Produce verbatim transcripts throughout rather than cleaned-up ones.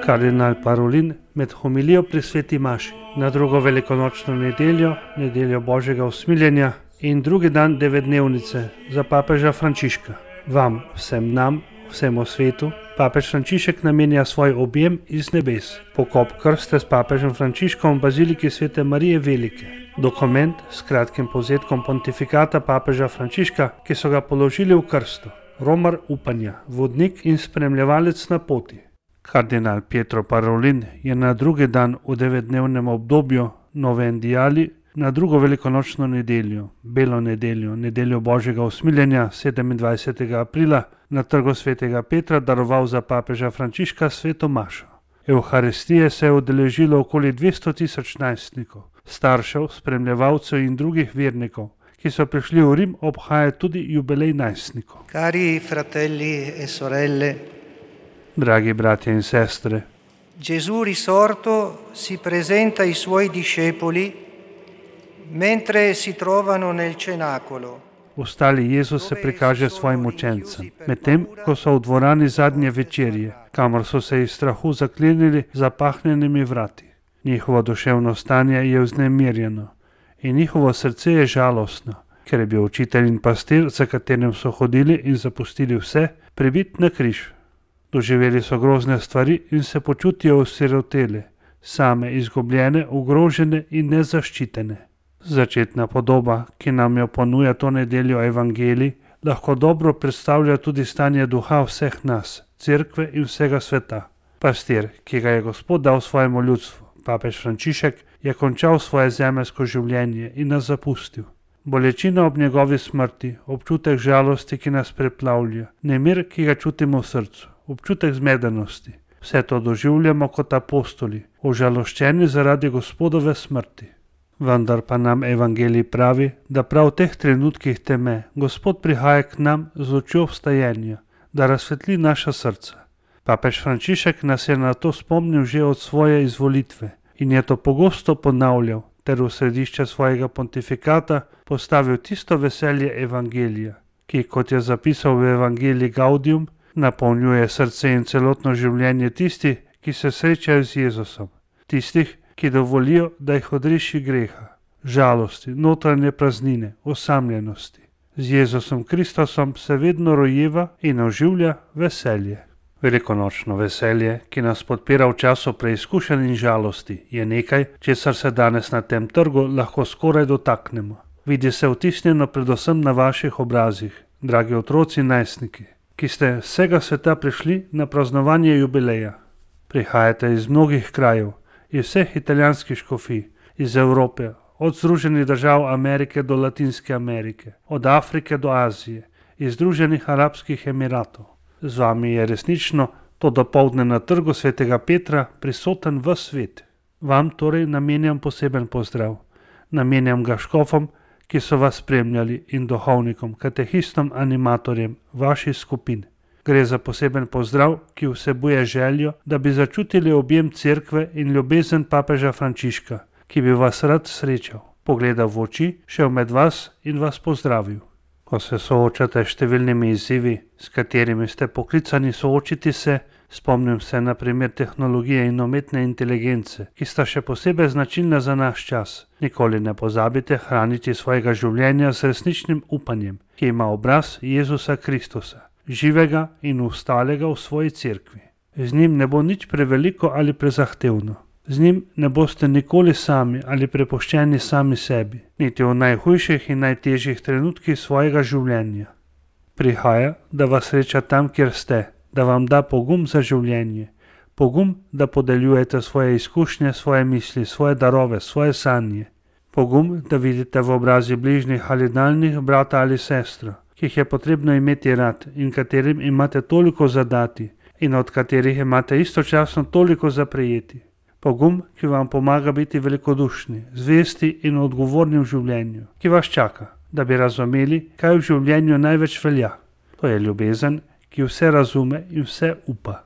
Kardinal Parolin med homilijo pri sveti maši na drugo velikonočno nedeljo, nedeljo Božjega usmiljenja in drugi dan devetdnevnice za papeža Frančiška. Vam, vsem nam, vsemu svetu, papež Frančišek namenja svoj objem iz nebes. Pokop krste s papežem Frančiškom v baziliki svete Marije Velike. Dokument s kratkim povzetkom pontifikata papeža Frančiška, ki so ga položili v krsto. Romar upanja, vodnik in spremljevalec na poti. Kardinal Pietro Parolin je na drugi dan v devetdnevnem obdobju Novendijali na drugo velikonočno nedeljo, belo nedeljo, nedeljo Božjega usmiljenja sedemindvajsetega aprila na trgu svetega Petra daroval za papeža Frančiška sveto mašo. Evharistije se je udeležilo okoli dvesto tisoč najstnikov, staršev, spremljevalcev in drugih vernikov, ki so prišli v Rim obhajati tudi jubilej najstnikov. Cari fratelli e sorelle, dragi bratje in sestre, Gesù risorto si presenta ai suoi discepoli mentre si trovano nel cenacolo. Ostali Jezus se prikaže svojim učencem, medtem ko so v dvorani zadnje večerje, kamor so se iz strahu zaklenili zapahnjenimi vrati. Njihovo duševno stanje je vznemirjeno in njihovo srce je žalostno, ker je bil učitelj in pastir, za katerim so hodili in zapustili vse, pribit na križ. Doživeli so grozne stvari in se počutijo osirotele, same izgubljene, ogrožene in nezaščitene. Začetna podoba, ki nam jo ponuja to nedeljo evangelij, lahko dobro predstavlja tudi stanje duha vseh nas, cerkve in vsega sveta. Pastir, ki ga je Gospod dal svojemu ljudstvu, papež Frančišek, je končal svoje zemeljsko življenje in nas zapustil. Bolečina ob njegovi smrti, občutek žalosti, ki nas preplavlja, nemir, ki ga čutimo v srcu, občutek zmedenosti. Vse to doživljamo kot apostoli, užaloščeni zaradi Gospodove smrti. Vendar pa nam evangelij pravi, da prav v teh trenutkih teme Gospod prihaja k nam z lučjo vstajenja, da razsvetli naša srca. Papež Frančišek nas je na to spomnil že od svoje izvolitve in je to pogosto ponavljal ter v središče svojega pontifikata postavil tisto veselje evangelija, ki, kot je zapisal v evangeliji Gaudium, napolnjuje srce in celotno življenje tistih, ki se srečajo z Jezusom, tistih, ki dovolijo, da jih odreši greha, žalosti, notranje praznine, osamljenosti. Z Jezusom Kristusom se vedno rojeva in oživlja veselje. Velikonočno veselje, ki nas podpira v času preizkušenj in žalosti, je nekaj, česar se danes na tem trgu lahko skoraj dotaknemo. Vidi se vtisnjeno predvsem na vaših obrazih, dragi otroci in najstniki, ki ste z vsega sveta prišli na praznovanje jubileja. Prihajate iz mnogih krajev, iz vseh italijanskih škofij, iz Evrope, od Združenih držav Amerike do Latinske Amerike, od Afrike do Azije, iz Združenih arabskih emiratov. Z vami je resnično to dopoldne na trgu svetega Petra prisoten ves svet. Vam torej namenjam poseben pozdrav. Namenjam ga škofom, ki so vas spremljali, in duhovnikom, katehistom, animatorjem vaših skupin. Gre za poseben pozdrav, ki vsebuje željo, da bi začutili objem cerkve in ljubezen papeža Frančiška, ki bi vas rad srečal, pogledal v oči, šel med vas in vas pozdravil. Ko se soočate s številnimi izzivi, s katerimi ste poklicani soočiti se, spomnim se na primer tehnologije in umetne inteligence, ki sta še posebej značilna za naš čas. Nikoli ne pozabite hraniti svojega življenja z resničnim upanjem, ki ima obraz Jezusa Kristusa, živega in ustalega v svoji cerkvi. Z njim ne bo nič preveliko ali prezahtevno. Z njim ne boste nikoli sami ali prepuščeni sami sebi, niti v najhujših in najtežjih trenutkih svojega življenja. Prihaja, da vas sreča tam, kjer ste, da vam da pogum za življenje, pogum, da podeljujete svoje izkušnje, svoje misli, svoje darove, svoje sanje, pogum, da vidite v obrazi bližnjih ali daljnih brata ali sestro, ki jih je potrebno imeti rad in katerim imate toliko zadati in od katerih imate istočasno toliko za prejeti. Pogum, ki vam pomaga biti velikodušni, zvesti in odgovorni v življenju, ki vas čaka, da bi razumeli, kaj v življenju največ velja. To je ljubezen, ki vse razume in vse upa.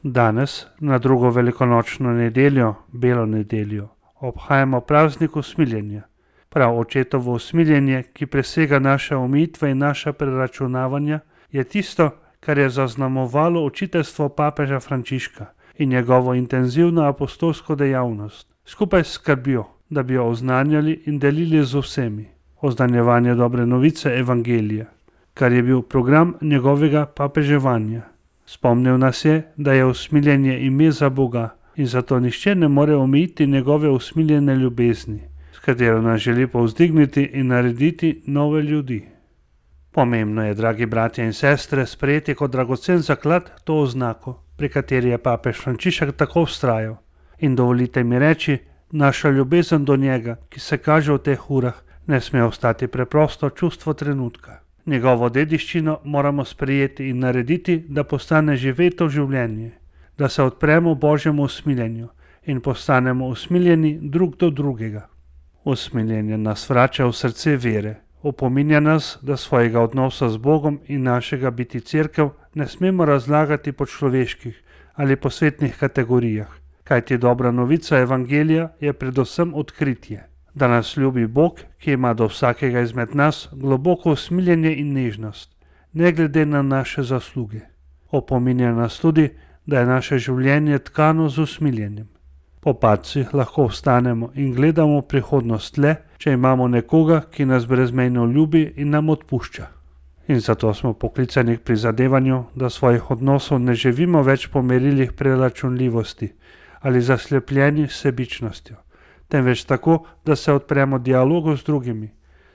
Danes, na drugo velikonočno nedeljo, belo nedeljo, obhajamo praznik usmiljenja. Prav očetovo usmiljenje, ki presega naše omejitve in naša preračunavanja, je tisto, kar je zaznamovalo učiteljstvo papeža Frančiška in njegovo intenzivno apostolsko dejavnost, skupaj s skrbjo, da bi jo oznanjali in delili z vsemi. Oznanjevanje dobre novice evangelija, kar je bil program njegovega papeževanja. Spomnil nas je, da je usmiljenje ime za Boga in zato nihče ne more omejiti njegove usmiljene ljubezni, s katero nas želi povzdigniti in narediti nove ljudi. Pomembno je, dragi bratje in sestre, sprejeti kot dragocen zaklad to oznako, pri kateri je papež Frančišek tako vztrajal. In dovolite mi reči, naša ljubezen do njega, ki se kaže v teh urah, ne sme ostati preprosto čustvo trenutka. Njegovo dediščino moramo sprejeti in narediti, da postane živeto življenje, da se odpremo Božjemu usmiljenju in postanemo usmiljeni drug do drugega. Usmiljenje nas vrača v srce vere, opominja nas, da svojega odnosa z Bogom in našega biti cerkev ne smemo razlagati po človeških ali po svetnih kategorijah, kajti dobra novica evangelija je predvsem odkritje, da nas ljubi Bog, ki ima do vsakega izmed nas globoko usmiljenje in nežnost, ne glede na naše zasluge. Opominja nas tudi, da je naše življenje tkano z usmiljenjem. Po padcih lahko vstanemo in gledamo prihodnost le, če imamo nekoga, ki nas brezmejno ljubi in nam odpušča. In zato smo poklicani k prizadevanju, da svojih odnosov ne živimo več po merilih preračunljivosti ali zaslepljeni s sebičnostjo, temveč tako, da se odpremo dialogu z drugimi,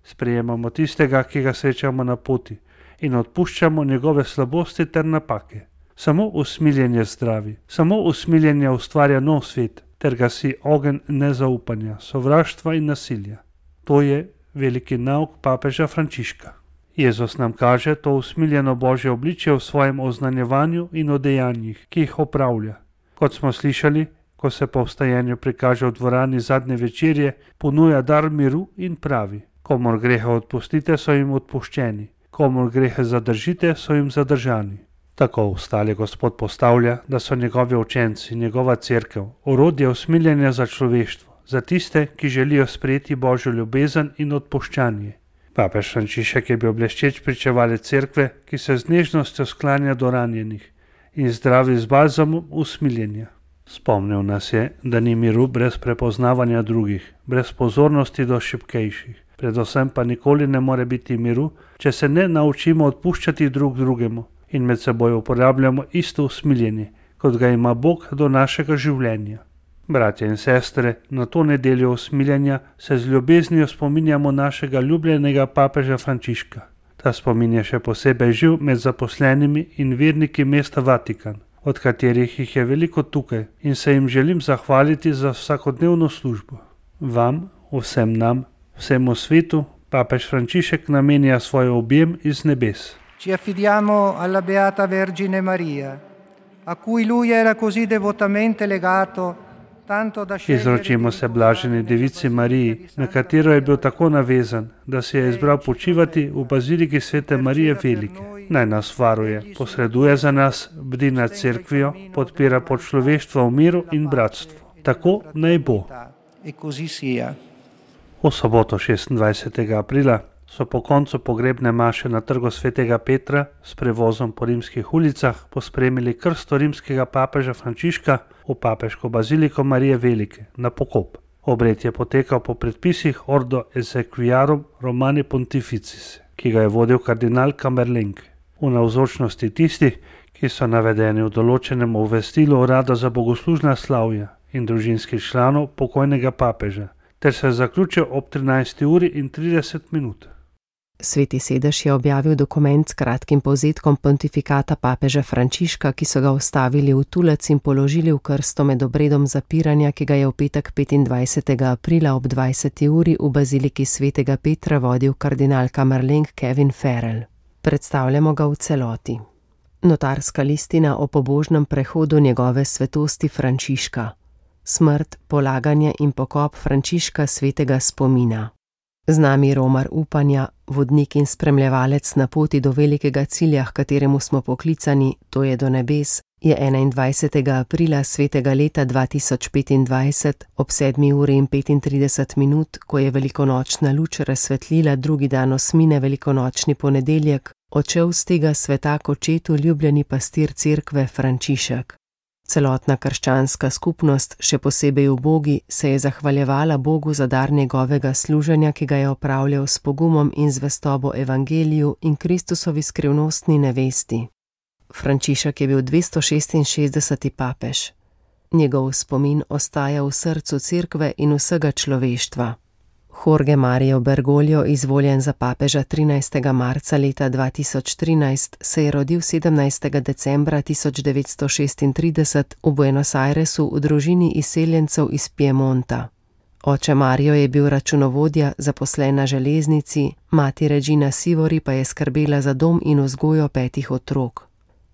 sprejemamo tistega, ki ga srečamo na poti in odpuščamo njegove slabosti ter napake. Samo usmiljenje zdravi, samo usmiljenje ustvarja nov svet, ter gasi ogenj nezaupanja, sovraštva in nasilja. To je veliki nauk papeža Frančiška. Jezus nam kaže to usmiljeno Božje obličje v svojem oznanjevanju in o dejanjih, ki jih opravlja. Kot smo slišali, ko se po vstajenju prikaže v dvorani zadnje večerje, ponuja dar miru in pravi: komor grehe odpustite, so jim odpuščeni, komor grehe zadržite, so jim zadržani. Tako vstali Gospod postavlja, da so njegovi učenci, njegova cerkev, orodje usmiljenja za človeštvo, za tiste, ki želijo sprejeti Božjo ljubezen in odpuščanje. Papež Frančišek je bil bleščeč pričevalec cerkve, ki se z nežnostjo sklanja do ranjenih in zdravi z balzamom usmiljenja. Spomnil nas je, da ni miru brez prepoznavanja drugih, brez pozornosti do šibkejših. Predvsem pa nikoli ne more biti miru, če se ne naučimo odpuščati drug drugemu in med seboj uporabljamo isto usmiljenje, kot ga ima Bog do našega življenja. Bratje in sestre, na to nedeljo usmiljenja se z ljubeznijo spominjamo našega ljubljenega papeža Frančiška. Ta spomin je še posebej živ med zaposlenimi in verniki mesta Vatikan, od katerih jih je veliko tukaj, in se jim želim zahvaliti za vsakodnevno službo. Vam, vsem nam, vsemu svetu, papež Frančišek namenja svoj objem iz nebes. Ci affidiamo alla Beata Vergine Maria, a cui lui era così devotamente legato, tanto da scegliere. Izročimo se blaženi devici Mariji, na katero je bil tako navezan, da si je izbral počivati v baziliki svete Marije Velike. Naj nas varuje, posreduje za nas, bdi nad cerkvijo, podpira človeštvo v miru in bratstvu. Tako naj bo. E così sia. V soboto šestindvajsetega aprila so po koncu pogrebne maše na trgu svetega Petra s prevozom po rimskih ulicah pospremili krsto rimskega papeža Frančiška v papeško baziliko Marije Velike na pokop. Obred je potekal po predpisih Ordo Exequiarum Romani Pontificis, ki ga je vodil kardinal Kamerleng, v navzočnosti tistih, ki so navedeni v določenem obvestilu Urada za bogoslužna slavja in družinskih članov pokojnega papeža, ter se zaključil ob trinajsti uri in trideset minut. Sveti sedež je objavil dokument s kratkim povzetkom pontifikata papeža Frančiška, ki so ga vstavili v tulec in položili v krsto med obredom zapiranja, ki ga je v petek petindvajsetega aprila ob dvajseti uri v baziliki svetega Petra vodil kardinal Kamerleng Kevin Farrell. Predstavljamo ga v celoti. Notarska listina o pobožnem prehodu njegove svetosti Frančiška. Smrt, polaganje in pokop Frančiška svetega spomina. Z nami romar upanja, vodnik in spremljevalec na poti do velikega cilja, h kateremu smo poklicani, to je do nebes, je enaindvajsetega aprila svetega leta dva tisoč petindvajset ob sedmi uri in petintrideset minut, ko je velikonočna luč razsvetlila drugi dan osmine velikonočni ponedeljek, odšel z tega sveta k očetu ljubljeni pastir cerkve Frančišek. Celotna krščanska skupnost, še posebej ubogi, se je zahvaljevala Bogu za dar njegovega služenja, ki ga je opravljal s pogumom in zvestobo evangeliju in Kristusovi skrivnostni nevesti. Frančišek je bil dvesto šestinšestdeseti papež. Njegov spomin ostaja v srcu cerkve in vsega človeštva. Jorge Mario Bergoglio, izvoljen za papeža trinajstega marca leta dva tisoč trinajst, se je rodil sedemnajstega decembra tisoč devetsto šestintrideset v Buenos Airesu v družini izseljencev iz Piemonta. Oče Mario je bil računovodja, zaposlen na železnici, mati Regina Sivori pa je skrbela za dom in vzgojo petih otrok.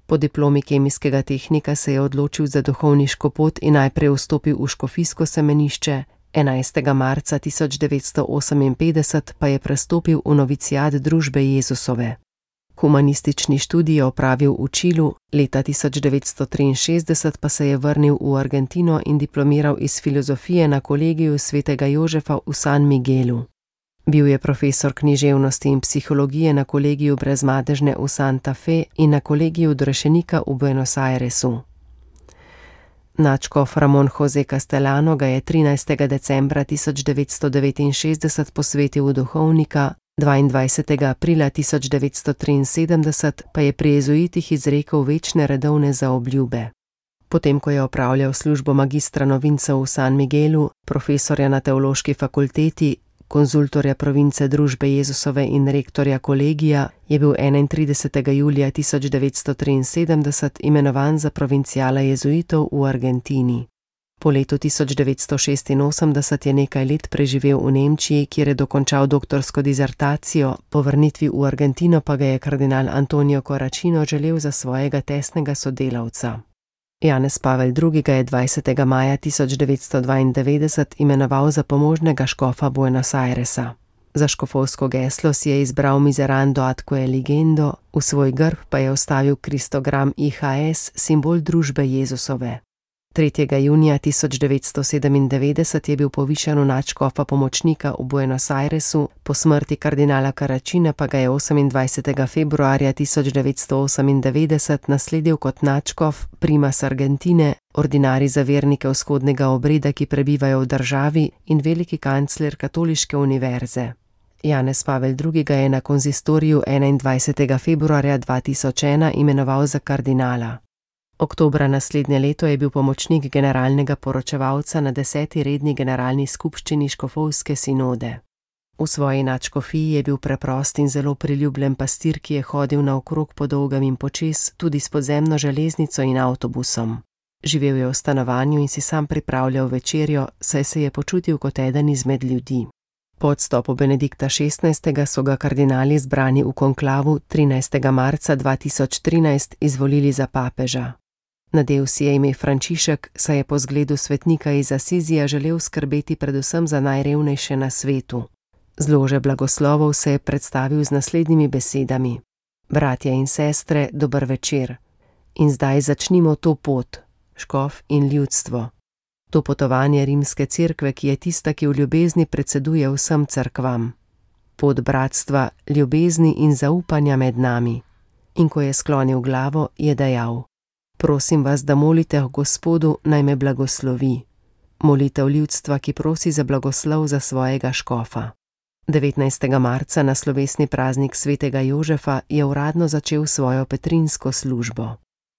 Po diplomi kemijskega tehnika se je odločil za duhovniško pot in najprej vstopil v škofijsko semenišče, enajstega marca tisoč devetsto oseminpetdeset pa je prestopil v noviciat družbe Jezusove. Humanistični študij je opravil v Čilu, leta tisoč devetsto triinšestdeset pa se je vrnil v Argentino in diplomiral iz filozofije na kolegiju svetega Jožefa v San Miguelu. Bil je profesor književnosti in psihologije na kolegiju Brezmadežne v Santa Fe in na kolegiju Odrešenika v Buenos Airesu. Nadškof Ramon José Castellano ga je trinajstega decembra tisoč devetsto devetinšestdeset posvetil v duhovnika, dvaindvajsetega aprila tisoč devetsto triinsedemdeset pa je pri jezuitih izrekel večne redovne zaobljube. Potem, ko je opravljal službo magistra novincev v San Miguelu, profesorja na teološki fakulteti, konzultorja province družbe Jezusove in rektorja kolegija, je bil enaintridesetega julija tisoč devetsto triinsedemdeset imenovan za provincijala jezuitov v Argentini. Po letu tisoč devetsto šestinosemdeset je nekaj let preživel v Nemčiji, kjer je dokončal doktorsko dizertacijo, po vrnitvi v Argentino pa ga je kardinal Antonio Corracino želel za svojega tesnega sodelavca. Janez Pavel drugi ga je dvajsetega maja tisoč devetsto dvaindevetdeset imenoval za pomožnega škofa Buenos Airesa. Za škofovsko geslo si je izbral Miserando ad Eligendo, v svoj grb pa je vstavil kristogram I H S, simbol družbe Jezusove. tretjega junija tisoč devetsto sedemindevetdeset je bil povišan v nadškofa pomočnika v Buenos Airesu, po smrti kardinala Carracina pa ga je osemindvajsetega februarja tisoč devetsto osemindevetdeset nasledil kot nadškof primas Argentine, ordinarij za vernike vzhodnega obreda, ki prebivajo v državi, in veliki kancler katoliške univerze. Janez Pavel drugi ga je na konzistoriju enaindvajsetega februarja dva tisoč ena imenoval za kardinala. Oktobra naslednje leto je bil pomočnik generalnega poročevalca na deseti redni generalni skupščini škofovske sinode. V svoji nadškofiji je bil preprost in zelo priljubljen pastir, ki je hodil naokrog po dolgem in počez, tudi s podzemno železnico in avtobusom. Živel je v stanovanju in si sam pripravljal večerjo, saj se je počutil kot eden izmed ljudi. Po odstopu Benedikta šestnajstega so ga kardinali zbrani v konklavu trinajstega marca dva tisoč trinajst izvolili za papeža. Nadel si je ime Frančišek, saj je po zgledu svetnika iz Asizija želel skrbeti predvsem za najrevnejše na svetu. Z lože blagoslovov se je predstavil z naslednjimi besedami: Bratje in sestre, dober večer. In zdaj začnimo to pot, škof in ljudstvo. To potovanje rimske cerkve, ki je tista, ki v ljubezni predseduje vsem cerkvam. Pot bratstva, ljubezni in zaupanja med nami. In ko je sklonil glavo, je dejal: Prosim vas, da molite o Gospodu, naj me blagoslovi. Molitev ljudstva, ki prosi za blagoslov za svojega škofa. devetnajstega marca na slovesni praznik svetega Jožefa je uradno začel svojo petrinsko službo.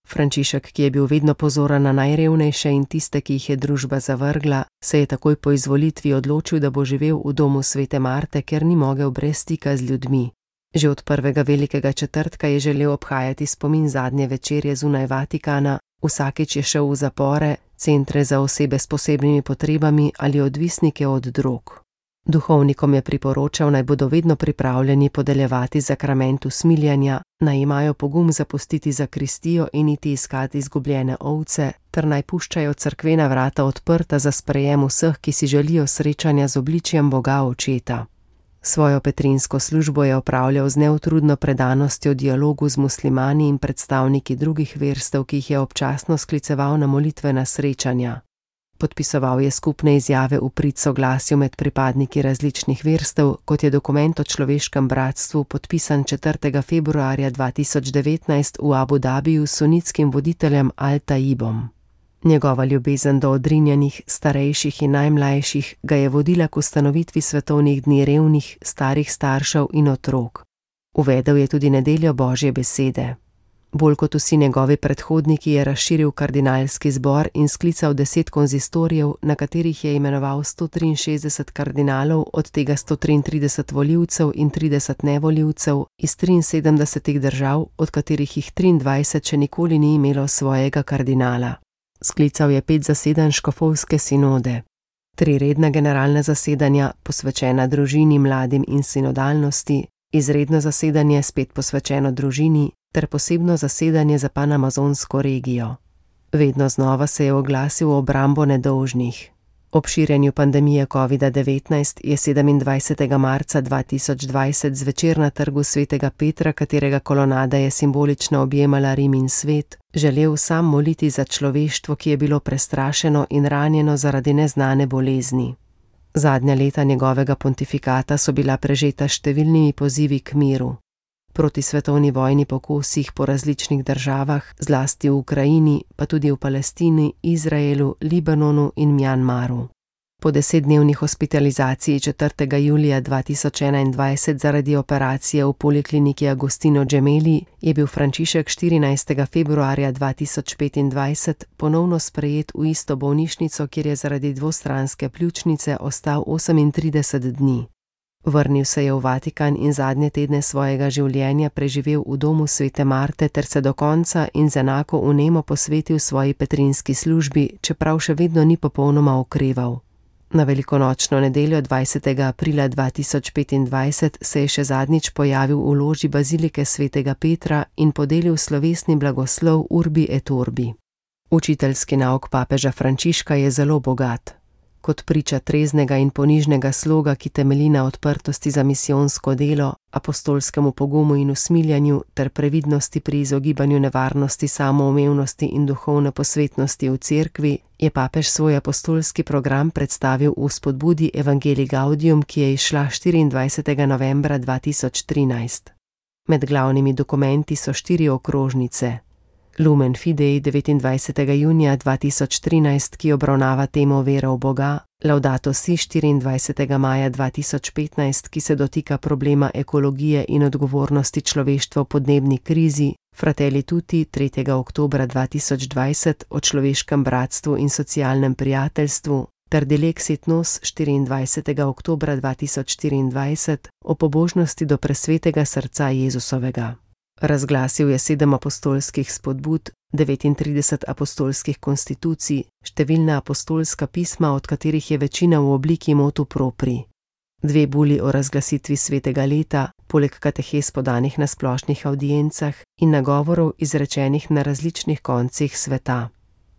Frančišek, ki je bil vedno pozoren na najrevnejše in tiste, ki jih je družba zavrgla, se je takoj po izvolitvi odločil, da bo živel v domu svete Marte, ker ni mogel brez stika z ljudmi. Že od prvega velikega četrtka je želel obhajati spomin zadnje večerje zunaj Vatikana, vsakič je šel v zapore, centre za osebe s posebnimi potrebami ali odvisnike od drog. Duhovnikom je priporočal, naj bodo vedno pripravljeni podeljevati zakrament usmiljanja, naj imajo pogum zapustiti zakristijo in iti iskati izgubljene ovce, ter naj puščajo cerkvena vrata odprta za sprejem vseh, ki si želijo srečanja z obličjem Boga Očeta. Svojo petrinsko službo je opravljal z neutrudno predanostjo dialogu z muslimani in predstavniki drugih verstev, ki jih je občasno skliceval na molitvena srečanja. Podpisoval je skupne izjave v prid soglasju med pripadniki različnih verstev, kot je dokument o človeškem bratstvu podpisan četrtega februarja dva tisoč devetnajst v Abu Dabiju s sunitskim voditeljem Al Taibom. Njegova ljubezen do odrinjenih, starejših in najmlajših ga je vodila k ustanovitvi svetovnih dni revnih, starih staršev in otrok. Uvedel je tudi nedeljo Božje besede. Bolj kot vsi njegovi predhodniki je razširil kardinalski zbor in sklical deset konzistorijev, na katerih je imenoval sto triinšestdeset kardinalov, od tega sto triintrideset volivcev in trideset nevolivcev iz triinsedemdesetih držav, od katerih jih triindvajset še nikoli ni imelo svojega kardinala. Sklical je pet zasedanj škofovske sinode, tri redna generalna zasedanja, posvečena družini, mladim in sinodalnosti, izredno zasedanje spet posvečeno družini ter posebno zasedanje za panamazonsko regijo. Vedno znova se je oglasil v obrambo nedolžnih. Ob širjenju pandemije covida devetnajst je sedemindvajsetega marca dva tisoč dvajset zvečer na trgu svetega Petra, katerega kolonada je simbolično objemala Rim in svet, želel sam moliti za človeštvo, ki je bilo prestrašeno in ranjeno zaradi neznane bolezni. Zadnja leta njegovega pontifikata so bila prežeta številnimi pozivi k miru. Proti svetovni vojni po kosih po različnih državah, zlasti v Ukrajini, pa tudi v Palestini, Izraelu, Libanonu in Mjanmaru. Po desetdnevni hospitalizaciji četrtega julija dva tisoč enaindvajset zaradi operacije v polikliniki Agostino Gemelli je bil Frančišek štirinajstega februarja dva tisoč petindvajset ponovno sprejet v isto bolnišnico, kjer je zaradi dvostranske pljučnice ostal osemintrideset dni. Vrnil se je v Vatikan in zadnje tedne svojega življenja preživel v domu svete Marte ter se do konca in z enako vnemo posvetil svoji petrinski službi, čeprav še vedno ni popolnoma okreval. Na velikonočno nedeljo dvajsetega aprila dva tisoč petindvajset se je še zadnjič pojavil v loži bazilike svetega Petra in podelil slovesni blagoslov Urbi et Orbi. Učiteljski nauk papeža Frančiška je zelo bogat. Kot priča treznega in ponižnega sloga, ki temelji na odprtosti za misijonsko delo, apostolskemu pogumu in usmiljanju ter previdnosti pri izogibanju nevarnosti samoumevnosti in duhovne posvetnosti v cerkvi, je papež svoj apostolski program predstavil v spodbudi Evangelii Gaudium, ki je izšla štiriindvajsetega novembra dva tisoč trinajst. Med glavnimi dokumenti so štiri okrožnice. Lumen Fidei devetindvajsetega junija dva tisoč trinajst, ki obravnava temo vere v Boga, Laudato Si štiriindvajsetega maja dva tisoč petnajst, ki se dotika problema ekologije in odgovornosti človeštva v podnebni krizi, Fratelli Tutti tretjega oktobra dva tisoč dvajset o človeškem bratstvu in socialnem prijateljstvu, ter Dilexit Nos štiriindvajsetega oktobra dva tisoč štiriindvajset o pobožnosti do presvetega srca Jezusovega. Razglasil je sedem apostolskih spodbud, devetintrideset apostolskih konstitucij, številna apostolska pisma, od katerih je večina v obliki motu propri. Dve buli o razglasitvi svetega leta, poleg katehes podanih na splošnih avdiencah in nagovorov izrečenih na različnih koncih sveta.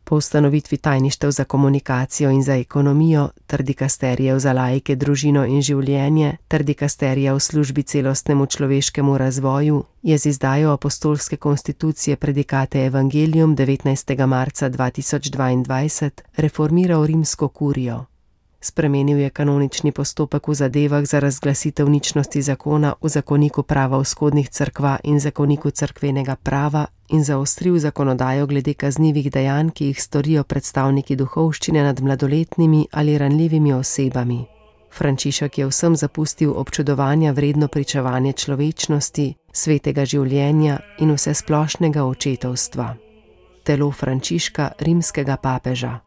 Po ustanovitvi tajništev za komunikacijo in za ekonomijo, ter dikasterijev za laike, družino in življenje, ter dikasterija v službi celostnemu človeškemu razvoju, je z izdajo apostolske konstitucije Predikate Evangelium devetnajstega marca dva tisoč dvaindvajset reformiral rimsko kurijo. Spremenil je kanonični postopek v zadevah za razglasitev ničnosti zakona v zakoniku prava vzhodnih cerkva in zakoniku cerkvenega prava in zaostril zakonodajo glede kaznivih dejanj, ki jih storijo predstavniki duhovščine nad mladoletnimi ali ranljivimi osebami. Frančišek je vsem zapustil občudovanja vredno pričevanje človečnosti, svetega življenja in vsesplošnega očetovstva. Telo Frančiška, rimskega papeža.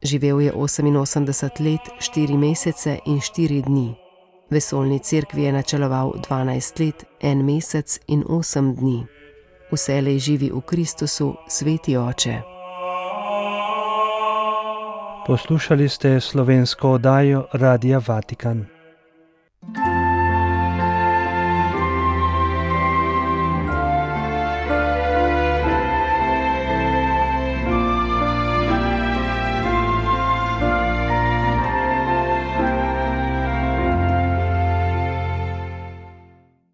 Živel je oseminosemdeset let, štiri mesece in štiri dni. Vesoljni cerkvi je načeloval dvanajst let, en mesec in osem dni. Vselej živi v Kristusu, sveti oče. Poslušali ste slovensko oddajo Radia Vatikan.